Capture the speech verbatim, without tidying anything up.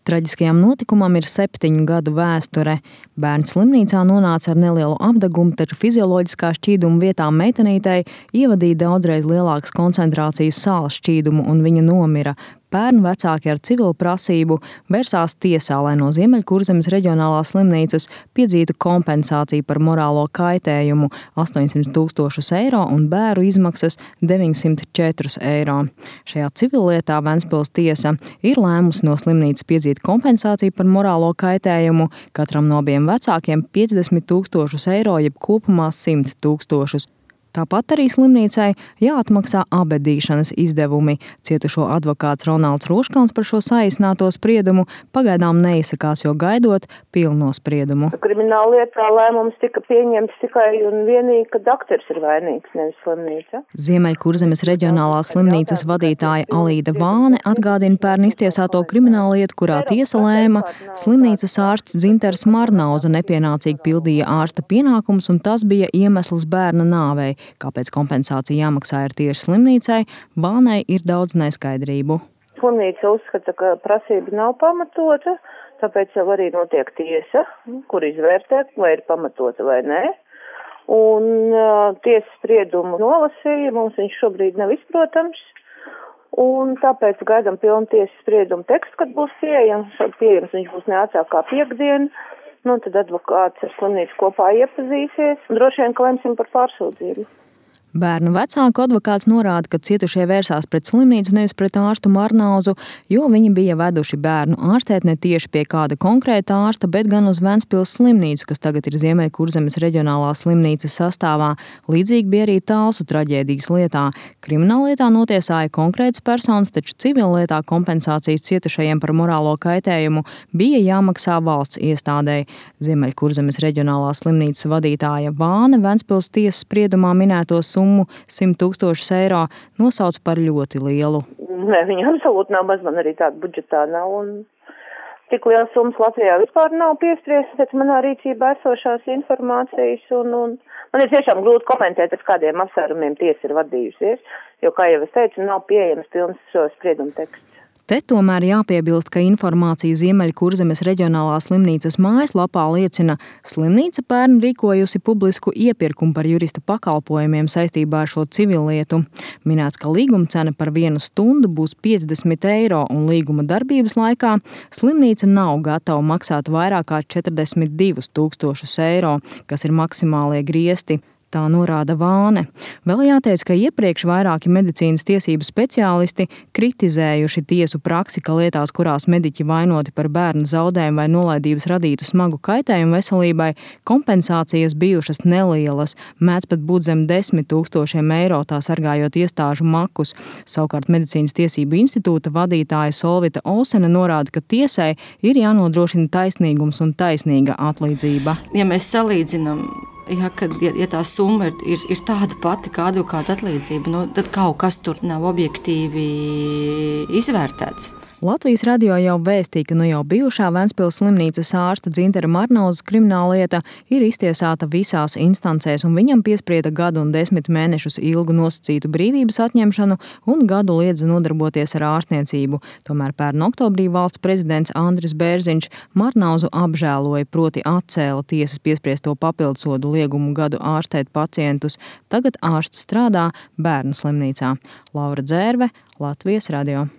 Traģiskajam notikumam ir septiņu gadu vēsture. Bērns slimnīcā nonāca ar nelielu apdegumu, taču fizioloģiskā šķīduma vietā meitenītei ievadīja daudzreiz lielākas koncentrācijas sāls šķīdumu un viņa nomira. Bērnu vecāki ar civilu prasību vērsās tiesā, lai no Ziemeļkurzemes reģionālās slimnīcas piedzītu kompensāciju par morālo kaitējumu astoņsimt tūkstošus eiro un bēru izmaksas deviņsimt četrus eiro. Šajā civillietā Ventspils tiesa ir lēmusi no slimnīcas piedzīt kompensāciju par morālo kaitējumu, katram no abiem vecākiem piecdesmit tūkstošus eiro, jeb kopumā simt tūkstošus. Tāpat arī slimnīcai jāatmaksā abedīšanas izdevumi. Cietušo advokāts Ronalds Roškalns par šo saīsināto spriedumu pagaidām neizsakās, jo gaidot pilno spriedumu. Krimināla lietā lēmums tika pieņemts tikai un vienīgi, ka doktors ir vainīgs, nevis slimnīca. Ziemeļkurzemes reģionālās slimnīcas vadītāja Alīda Vāne atgādina pērn iztiesāto kriminālu lietu, kurā tiesa lēma, slimnīcas ārsts Dzinters Marnauza nepienācīgi pildīja ārsta pienākumus, un tas bija iemesls bērna nāvei. Kāpēc kompensācija jāmaksā ir tieši slimnīcai, Vānei ir daudz neskaidrību. Slimnīca uzskata, ka prasība nav pamatota, tāpēc jau arī notiek tiesa, kur izvērtē, vai ir pamatota vai nē. Un uh, tiesas spriedumu nolasīja, mums viņš šobrīd nav izprotams. Un tāpēc gaidām pilnu tiesas spriedumu tekstu, kad būs pieejams. Pieejams viņš būs neatsāk kā piekdien. Nu, tad advokāts ar slimnīcu kopā iepazīsies un droši vien, ka lemsim par pārsūdzību. Bērnu vecāku advokāts norāda, ka cietušie vērsās pret slimnīcu, nevis pret ārstu Marnauzu, jo viņi bija veduši bērnu ārstēt ne tieši pie kāda konkrēta ārsta, bet gan uz Ventspils slimnīcu, kas tagad ir Ziemeļkurzemes reģionālās slimnīcas sastāvā. Līdzīgi bija arī Talsu traģēdijas lietā. Krimināllietā notiesāja konkrētas personas, taču civillietā kompensācijas cietušajiem par morālo kaitējumu bija jāmaksā valsts iestādei. Ziemeļkurzemes reģionālās slimnīcas vadītāja Vāne Ventspils tiesas spriedumā minētos summu simt tūkstošus eiro nosauc par ļoti lielu. Nē, viņa absolūti nav maz, man arī tāda budžetā nav, un tik liels summas Latvijā vispār nav piespriestas pēc manā rīcībā esošās informācijas, un, un man ir tiešām grūti komentēt, pēc kādiem apsvērumiem tiesa ir vadījusies, jo, kā jau es teicu, nav pieejams pilns šo spriedumu teksts. Te tomēr jāpiebilst, ka informācija Ziemeļkurzemes reģionālās slimnīcas mājaslapā liecina, slimnīca pērn rīkojusi publisku iepirkumu par jurista pakalpojumiem saistībā ar šo civillietu. Minēts, ka līguma cena par vienu stundu būs piecdesmit eiro un līguma darbības laikā slimnīca nav gatava maksāt vairāk kā četrdesmit divus tūkstošus eiro, kas ir maksimālie griesti. Tā norāda Vāne. Vēl jāteic, ka iepriekš vairāki medicīnas tiesību speciālisti kritizējuši tiesu praksi, ka lietās, kurās mediķi vainoti par bērnu zaudējumu vai nolaidības radītu smagu kaitējumu veselībai, kompensācijas bijušas nelielas, mēdz pat būt zem desmit tūkstošiem eiro, tā sargājot iestāžu makus. Savukārt Medicīnas tiesību institūta vadītāja Solvita Olsene norāda, ka tiesai ir jānodrošina taisnīgums un taisnīga atlīdzība. Ja mēs salīdzinām, Ja, kad, ja, ja tā summa ir, ir, ir tāda pati kā advokāta atlīdzība, nu, tad kaut kas tur nav objektīvi izvērtēts. Latvijas radio jau vēstīja, ka nu jau bijušā Ventspils slimnīcas ārsta Dzintera Marnauzas krimināllieta ir iztiesāta visās instancēs, un viņam piesprieda gadu un desmit mēnešus ilgu nosacītu brīvības atņemšanu un gadu liedza nodarboties ar ārstniecību. Tomēr pērn oktobrī valsts prezidents Andris Bērziņš Marnauzu apžēloja, proti atcēla tiesas piespriesto papildsodu liegumu gadu ārstēt pacientus. Tagad ārsts strādā bērnu slimnīcā. Laura Dzērve, Latvijas radio.